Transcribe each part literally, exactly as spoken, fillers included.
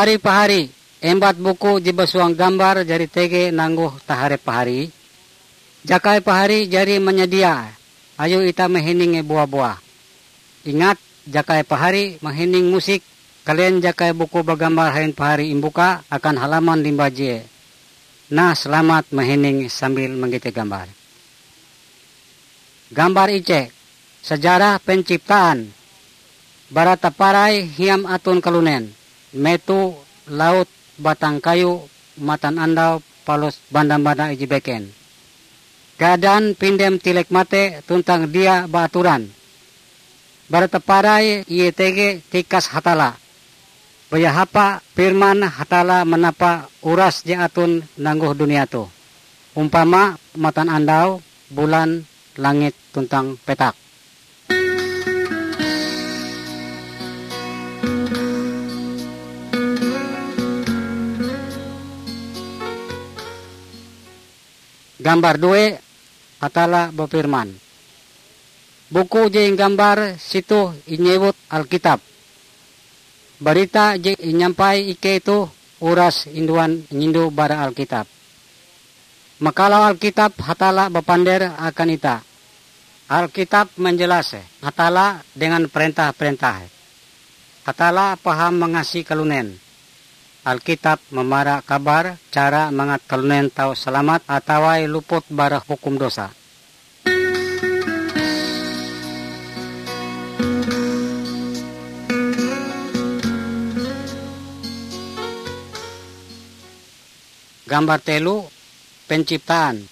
Ari pahari, embat buku je basuang gambar jari tege nanggoh taharep pahari. Jakai pahari jari manyadia, ayo itah mahininge bua-buah. Ingat, jakai pahari mahining musik, kalen jakai buku bagambar hain pahari imbuka akan halaman limbah je. Nah, selamat mahining sambil manggete gambar. Gambar ije, sejarah penciptaan. Bara taparai hiam aton kalunen, meto, laut, batang kayu, matanandau, palus banda-banda ije beken. Gadan pindem tilek mate tuntang dia baaturan. Bara taparai ie tege tikas Hatalla. Baya hapa firman Hatalla manapa uras je aton nanggoh dunia toh, umpama matanandau, bulan, langit tuntang petak. Gambar due, Hatalla bafirman. Buku je inggambar sitoh inyewut Alkitab. Barita je inyampai ikei toh uras induan inyindo bara Alkitab. Makalau Alkitab Hatalla bapander akan itah. Alkitab manjelas Hatalla dengan perentah-perentah. Hatalla paham mangasi kalunen. Alkitab mamara kabar cara mangat kalunen tau salamat atawa luput bara hukum dosa. Gambar telu, penciptaan.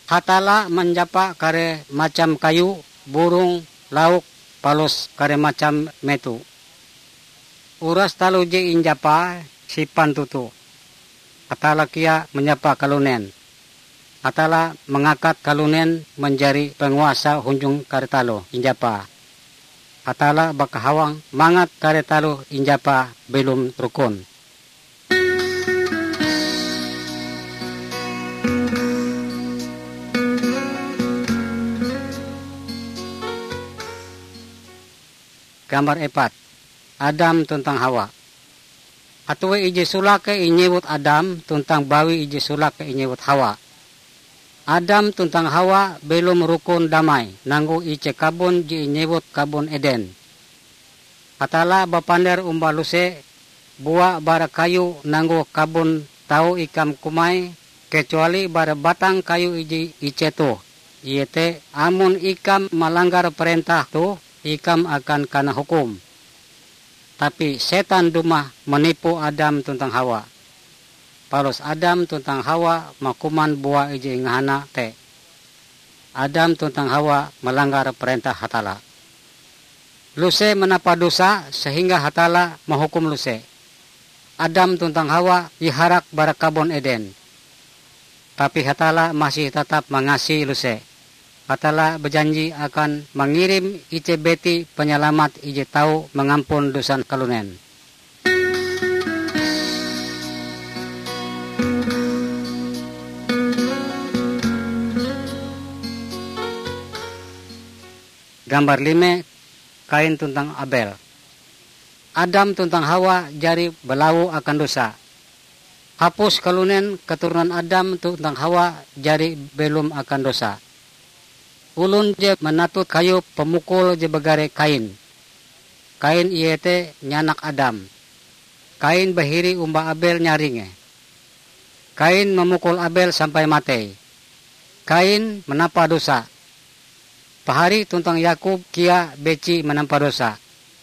Hatalla manjapa kare macam kayu, burong, lauk, palus kare macam meto. Uras taloh je injapae sipan toto. Hatalla kea manjapa kalunen. Hatalla mangakat kalunen manjari panguasa hunjun kare taloh injapae. Hatalla bakahawang mangat kare taloh injapae belom rukun. Gambar epat, Adam tuntang Hawa. Hatue ije solake inyewut Adam tuntang bawi ije solake inyewut Hawa. Adam tuntang Hawa belom rukun damai nanggoh ije kabon je inyewut Kabon Eden. Hatalla bapander omba luse, bua bara kayu nanggoh kabon tau ikam kumae, kecuali bara batang kayu ije ice toh, iete amon ikam malanggar parentah toh, ikam akan kana hukum. Tapi setan dumah manipu Adam tuntang Hawa. Palus Adam tuntang Hawa makuman bua ije ingahana te. Adam tuntang Hawa malanggar parentah Hatalla. Luse manapa dosa sehingga Hatalla mahukum luse. Adam tuntang Hawa iharak bara Kabon Eden. Tapi Hatalla masih tatap mangasi luse. Hatalla bajanji akan mangirim ije biti panyalamat ije tau mangampon dosan kalunen. Gambar lime, Kain tuntang Abel. Adam tuntang Hawa jari balawo akan dosa. Hapus kalunen keturunan Adam tuntang Hawa jari belom akan dosa. Olon je manatut kayu pamukul je bagare Kain. Kain iete nyanak Adam. Kain bahiri omba Abel nyaringe. Kain mamukul Abel sampai matei. Kain manapa dosa. Pahari tuntang Yakub kea beci manampa dosa.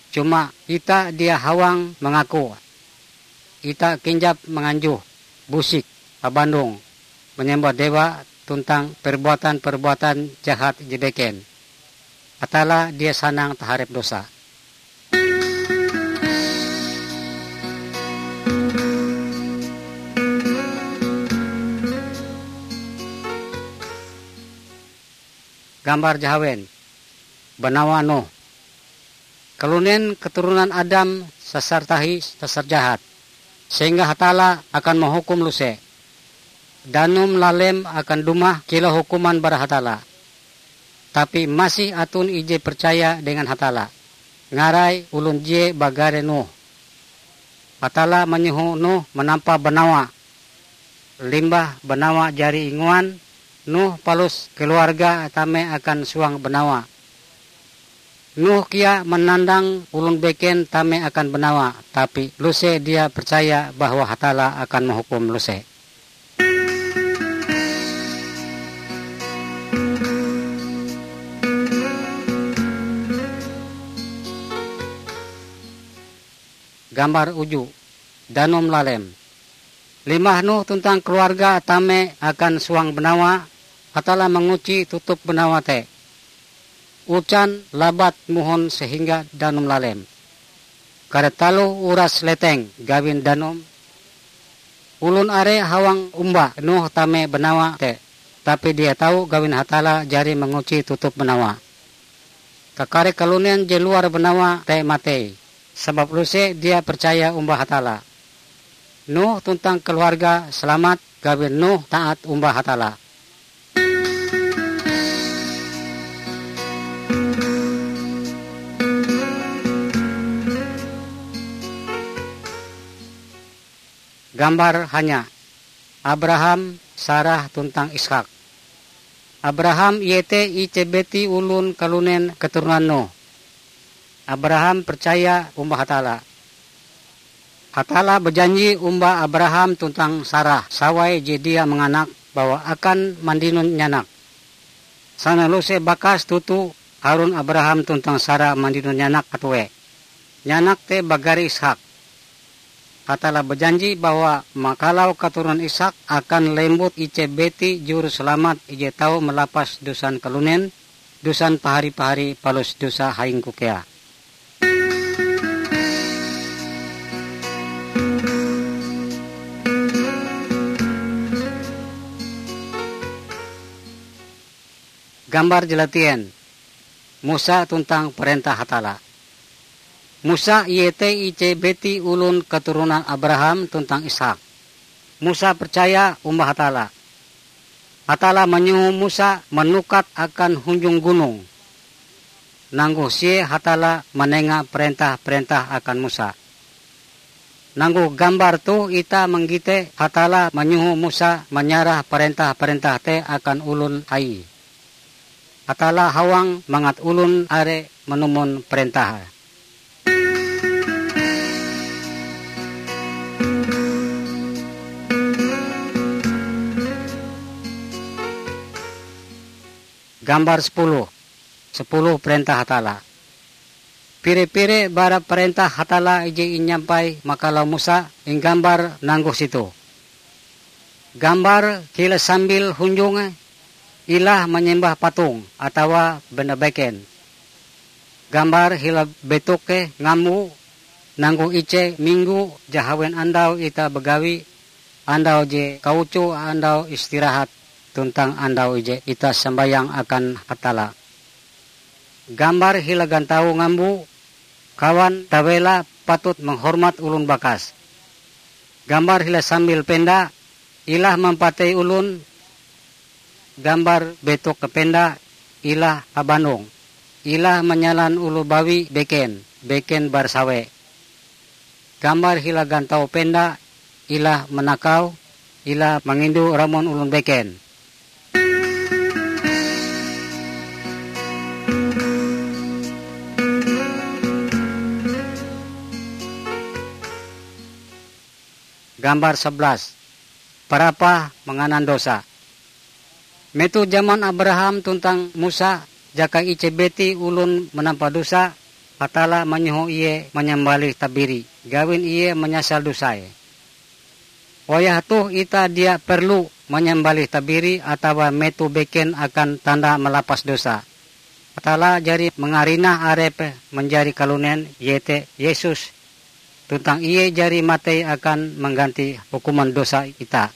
Cuma ita dia hawang mangaku. Ita kinjap manganjuh, busik, habandong, manyembah dewa tuntang perbuatan-perbuatan jahat je beken. Hatalla dia sanang taharep dosa. Gambar jahawen, banawa Nuh. Kalunen keturunan Adam sasar tahi, sasar jahat, sehingga Hatalla akan mahukum luse. Danum lalem akan dumah kilau hukuman bara Hatalla. Tapi masih aton ije percaya dengan Hatalla. Ngarai olon je bagare Nuh. Hatalla manyoho Nuh manampa banawa. Limbah banawa jari inguan, Nuh palus keluargae tame akan suang banawa. Nuh kea manandang olon beken tame akan banawa, tapi Lose dia percaya bahwa Hatalla akan mahukum Lose. Gambar uju, danum lalem. Limbah Nuh tuntang keluargae tame akan suang banawa, Hatalla manguci tutup banawa te. Ujan labat mohon sehingga danum lalem. Kare taloh uras leteng gawin danum. Olon are hawang omba Nuh tame banawa te, tapi dia tau gawin Hatalla jari manguci tutup banawa. Kakare kalunen je luar banawa te matei, sabab Lose dia percaya omba Hatalla. Nuh tuntang keluargae salamat gawin Nuh taat omba Hatalla. Gambar hanya, Abraham, Sarah tuntang Ishak. Abraham iete ije biti olon kalunen keturonan Nuh. Abraham percaya omba Hatalla. Hatalla bajanji omba Abraham tuntang Sarah, sawai je dia manganak, bahwa akan mandinon nyanak. Sana Lose bakas toto harun Abraham tuntang Sarah mandinon nyanak hatue. Nyanak te bagare Ishak. Hatalla bajanji bahwa makalau katuronan Ishak akan lembut ije biti Juruselamat ije tau malapas dosan kalunen, dosan pahari-pahari palus dosa haingku kea. Gambar jalatien, Musa tuntang parentah Hatalla. Musa iete ije biti olon katuronan Abraham tuntang Ishak. Musa percaya omba Hatalla. Hatalla manyoho Musa manukat akan hunjun gunong. Nanggoh sie Hatalla manenga parentah-parentah akan Musa. Nanggoh gambar toh itah manggite Hatalla manyoho Musa manyarah parentah-parentah te akan olon Aie. Hatalla hawang mangat olon are manumon parentahe. Gambar sepuluh. Sepuluh parentah Hatalla. Pire-pire bara parentah Hatalla ije inyampai makalau Musa inggambar nanggoh sitoh. Gambar hila sambil hunjunge ilah manyembah patong atawa benda beken. Gambar hila betoke ngambo nanggoh ije minggo jahawen andau itah bagawi, andau je kaucoe andau istirahat tuntang andau ije itah sambayang akan Hatalla. Gambar hila gantau ngambo kawan tawela patut manghormat olon bakas. Gambar hila sambil penda ilah mampatei olon. Gambar betok penda ilah habandong, ilah manyalan oloh bawi beken, beken bara sawe. Gambar hila gantau penda ilah manakau, ilah mangindo ramon olon beken. Gambar sebelas. Parapah manganan dosa. Metoh jaman Abraham tuntang Musa, jaka ije biti olon manampa dosa, Hatalla manyoho ie manyambalih tabiri, gawin ie manyasal dosae. Wayah toh itah dia perlu manyambalih tabiri atawa metoh beken akan tanda malapas dosa. Hatalla jari mangarinah Arepe manjari kalunen, iete Yesus, tuntang Ie jari matei akan mangganti hukuman dosa itah.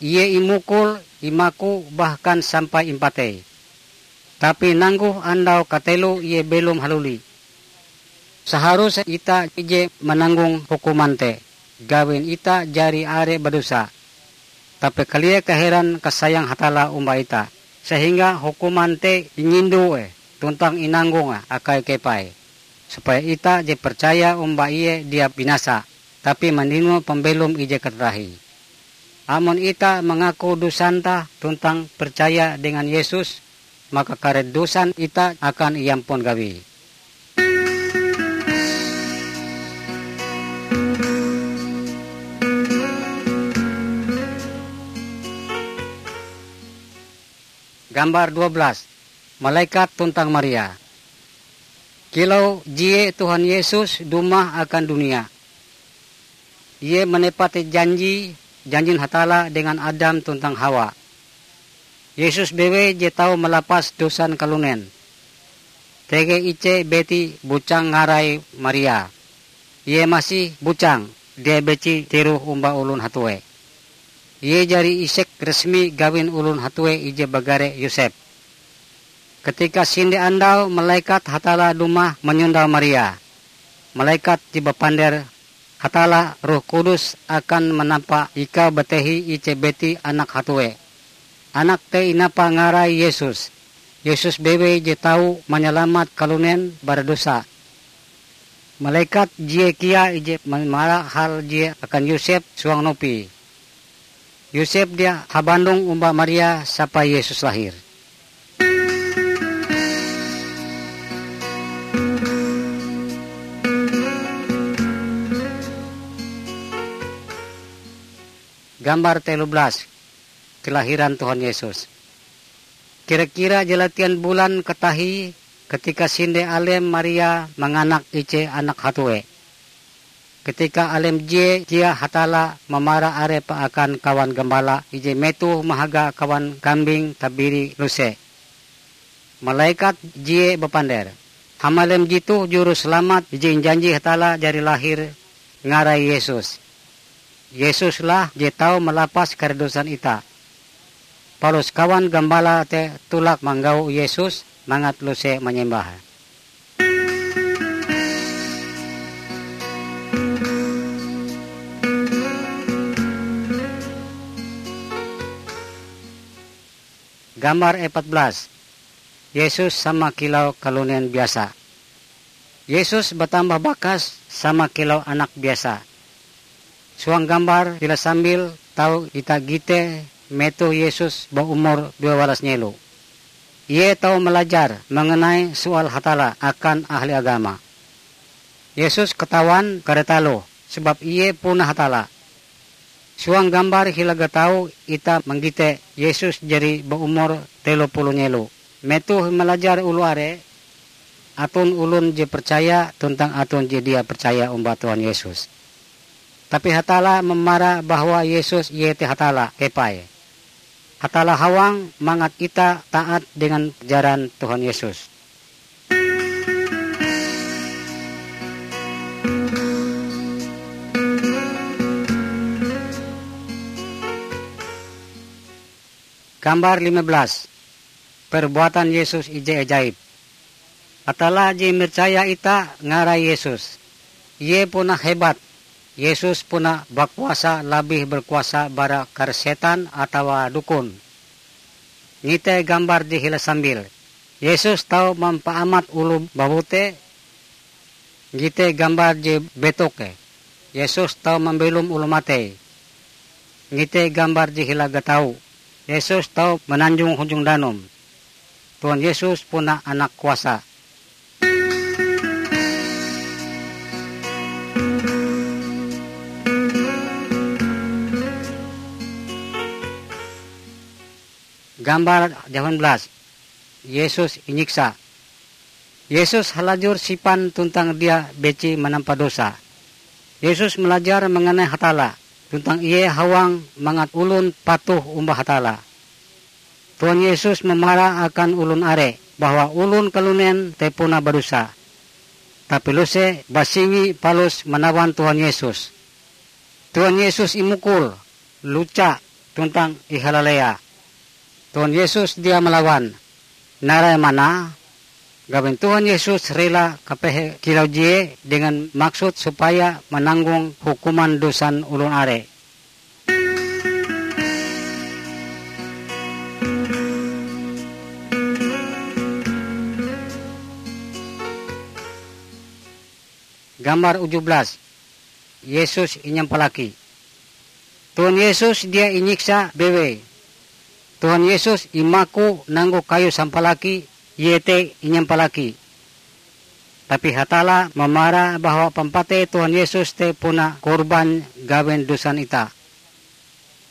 Ie imukul, imaku, bahkan sampai impatei. Tapi nanggoh andau kateloe Ie belom haluli. Saharuse itah ije mananggong hukuman te, gawin itah jari are badosa. Tapi kalia kaheran kasayang Hatalla omba itah, sehingga hukuman te inyindoe tuntang inanggong akae kepae. supaya itah je percaya omba Ie dia binasa, tapi mandino pambelom ije katatahie. Amon itah mangaku dosanta tuntang percaya dengan Yesus, maka kare dosan itah akan iampun gawie. Gambar dua belas. Malekat tuntang Maria. Kilau jie Tuhan Yesus dumah akan dunia, Ie manepate janji, janjin Hatalla dengan Adam tuntang Hawa. Yesus bewei je tau malapas dosan kalunen. Tege ije biti bujang ngarai Maria. Ie masih bujang, dia beci tiroh omba olon hatue. Ie jari isek resmi gawin olon hatue ije bagare Yosep. Katika sinde andau malekat Hatalla dumah manyondau Maria. Malekat je bapander, "Hatalla Roh Kudus akan manampa ikau batehi ije biti anak hatue. Anak te inapa ngarai Yesus. Yesus bewei je tau manyalamat kalunen bara dosa." Malekat jie kea ije mamara hal jie akan Yosep suang nupi. Yosep dia habandong omba Maria sampai Yesus lahir. Gambar telu belas. Kelahiran Tuhan Yesus. Kira-kira jalatian bulan katahie katika sinde alem Maria manganak ije anak hatue. Katika alem jie kea Hatalla mamara arepe akan kawan gambala ije metoh mahaga kawan kambing tabiri luse. Malekat jie bapander, "Hamalem jetoh Juru Salamat ije injanji Hatalla jari lahir, ngarai Yesus. Yesus lah je tau malapas kare dosan itah." Palus kawan gambala te tolak manggau Yesus mangat luse manyembah. Gambar empat belas. Yesus sama kilau kalunen biasa. Yesus batambah bakas sama kilau anak biasa. Suang gambar hila sambil tau itah gite metoh Yesus baumur dua walas nyelo. Ie tau malajar mengenai soal Hatalla akan ahli agama. Yesus katawan kare taloh, sebab Ie puna Hatalla. Suang gambar hila gatau itah manggite Yesus jari baumur telo puluh nyelo. Metoh malajar oloh are, aton olon je percaya tuntang aton je dia percaya omba Tuhan Yesus. Tapi Hatalla mamara bahwa Yesus iete Hatalla kepai. Hatalla hawang mangat itah taat dengan ajaran Tuhan Yesus. Gambar lima belas. Perbuatan Yesus ije ajaib. Hatalla je imercaya itah ngarai Yesus. Ie puna hebat. Yesus puna bakuasa labih berkuasa bara kare setan atawa dukon. Ngite gambar je hila sambil. Yesus tau mampaamat oloh babute. Ngite gambar je betoke. Yesus tau mambelom oloh matei. Ngite gambar je hila gatau. Yesus tau mananjong hunjun danum. Tuhan Yesus puna anak kuasa. Gambar jahawan belas. Yesus inyiksa. Yesus halajur sipan tuntang dia beci manampa dosa. Yesus malajar mengenai Hatalla, tuntang Ie hawang mangat olon patuh omba Hatalla. Tuhan Yesus mamara akan olon are bahwa olon kalunen te puna badosa. Tapi luse basingi palus manawan Tuhan Yesus. Tuhan Yesus imukul, luca, tuntang ihalalea. Tuhan Yesus dia malawan. Narai mana, gawin Tuhan Yesus rela kapehe kilau jie dengan maksud supaya mananggong hukuman dosan olon are. Gambar uju belas. Yesus inyampalaki. Tuhan Yesus dia inyiksa bewei. Tuhan Yesus imaku nanggu kayu sampalaki, iete inyampalaki. Tapi Hatalla mamara bahwa pampatei Tuhan Yesus te puna korban gawin dosan itah.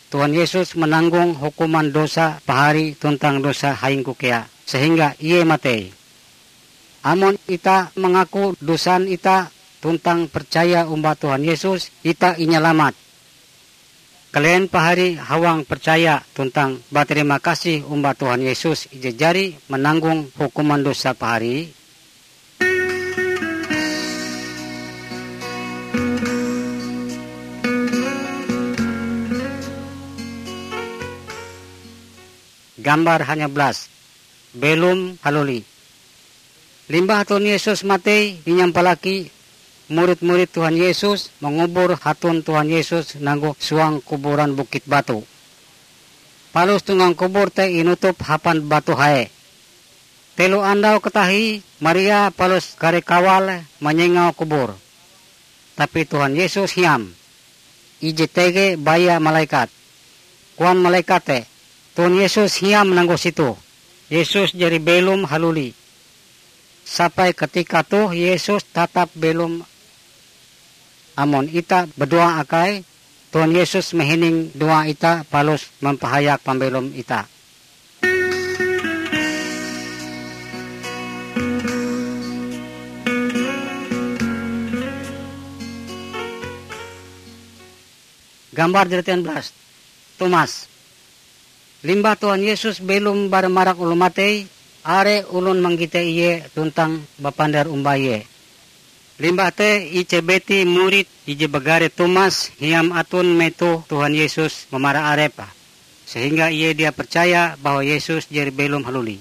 Tuhan Yesus mananggong hukuman dosa pahari tuntang dosa haingku kea, sehingga Ie matei. Amon itah mangaku dosan itah tuntang percaya omba Tuhan Yesus, itah inyalamat. Kelehen pahari hawang percaya tuntang baterima kasih omba Tuhan Yesus ije jari mananggong hukuman dosa pahari? Gambar hanya belas. Belom haluli. Limbah Tuhan Yesus matei inyampalaki, murid-murid Tuhan Yesus mangubur haton Tuhan Yesus nanggo suang kuburan bukit batu. Palus tungang kubur te inutup hapan batu hae. Telo andau katahie, Maria palus kare kawale manyengau kubur. Tapi Tuhan Yesus hiam. Ije tege baya malaikat. Koan malaikat te, "Tuhan Yesus hiam nanggo situ." Yesus jari belom haluli. Sampai katika toh Yesus tatap belom. Amon itah badoa akai, Tuhan Yesus mahining doa itah palus mampahayak pambelom itah. Gambar dua puluh tiga belas. Tomas. Limbah Tuhan Yesus belom bara marak oloh matei, are olon manggite Ie tuntang bapander omba Ie. Limbah te ije biti murid ije bagare Tomas hiam aton metoh Tuhan Yesus mamara arepe, sehingga ie dia percaya bahwa Yesus jari belom haluli.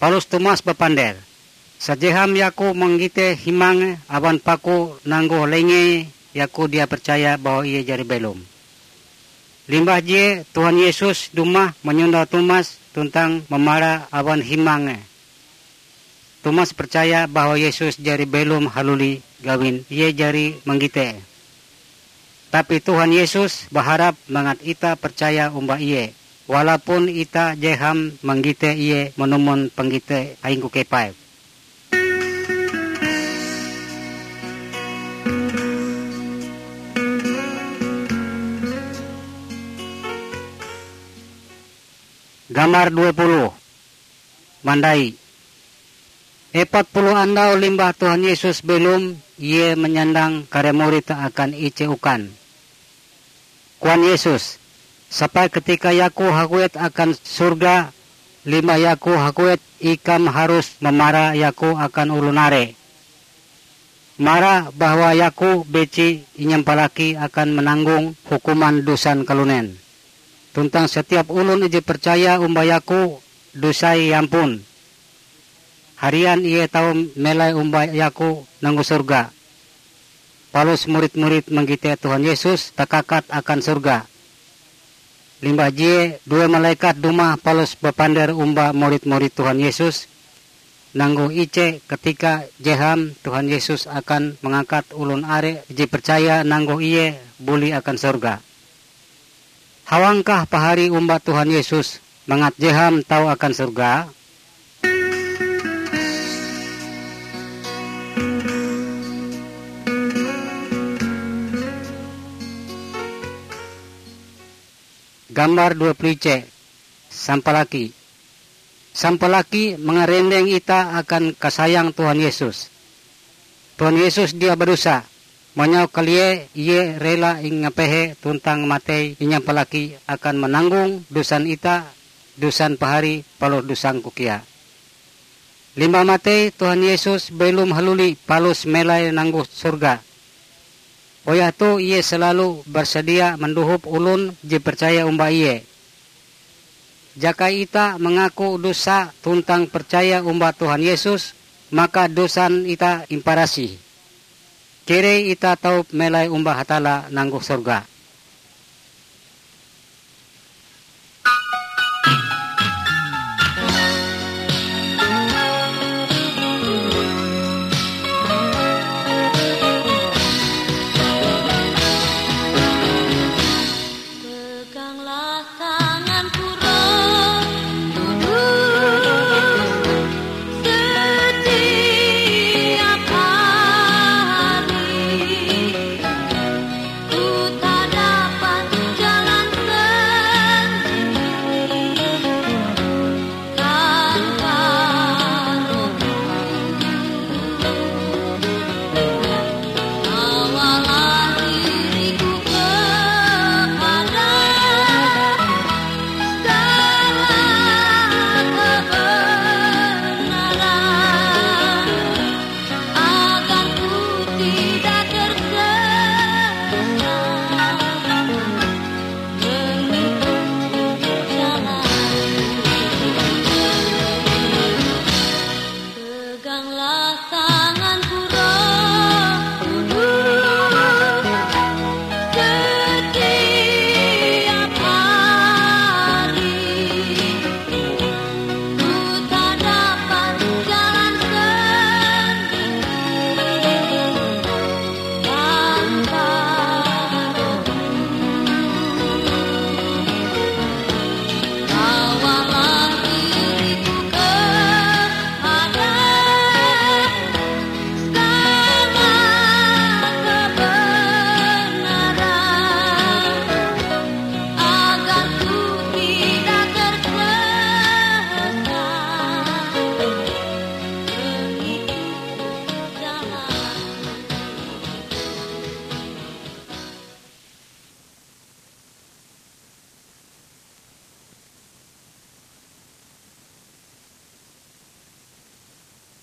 Palus Tomas bapander, "Sajeham yaku manggite himange aban paku nanggoh lengee, yaku dia percaya bahwa Ie jari belom." Limbah je Tuhan Yesus dumah manyondau Tomas tuntang mamara awan himange. Tomas percaya bahwa Yesus jari belom haluli gawin ie jari manggite. Tapi Tuhan Yesus baharap mangat itah percaya omba Ie, walaupun itah jeham manggite Ie manumon panggite haingku kepae. Gambar dua puluh. Mandai. Epat puluh andau limbah Tuhan Yesus belom, Ie manyandang kare murid akan ije ukan. Koan Yesus, "Sampai katika Yaku haguet akan sorga, limbah Yaku haguet, ikam harus mamara Yaku akan olon are. Mara bahwa Yaku beci inyampalaki akan mananggong hukuman dosan kalunen. Tuntang setiap olon ije percaya omba Yaku, dosae iampun. Harian ie tau melai omba Yaku nanggo sorga." Palus murid-murid manggite Tuhan Yesus takakat akan sorga. Limbah je due malekat dumah palus bapander omba murid-murid Tuhan Yesus, nanggoh ije katika jeham Tuhan Yesus akan mangakat olon are je percaya nanggoh Ie buli akan sorga. Hawangkah pahari omba Tuhan Yesus mangat jeham tau akan sorga? Gambar dua puluh ije. Sampalaki. Sampalaki mangarendeng itah akan kasayang Tuhan Yesus. Tuhan Yesus dia badosa. Manyau kalie Ie rela ingapehe tuntang matei inyampalaki akan mananggong dosan itah, dosan pahari, palus dosangku kea. Limbah matei, Tuhan Yesus belom haluli palus melai nanggoh sorga. Wayah toh Ie salalu basadia mandohop olon je percaya omba Ie. Jaka itah mangaku dosa tuntang percaya omba Tuhan Yesus, maka dosan itah imparasih. Keleh itah tau melai omba Hatalla nanggoh sorga.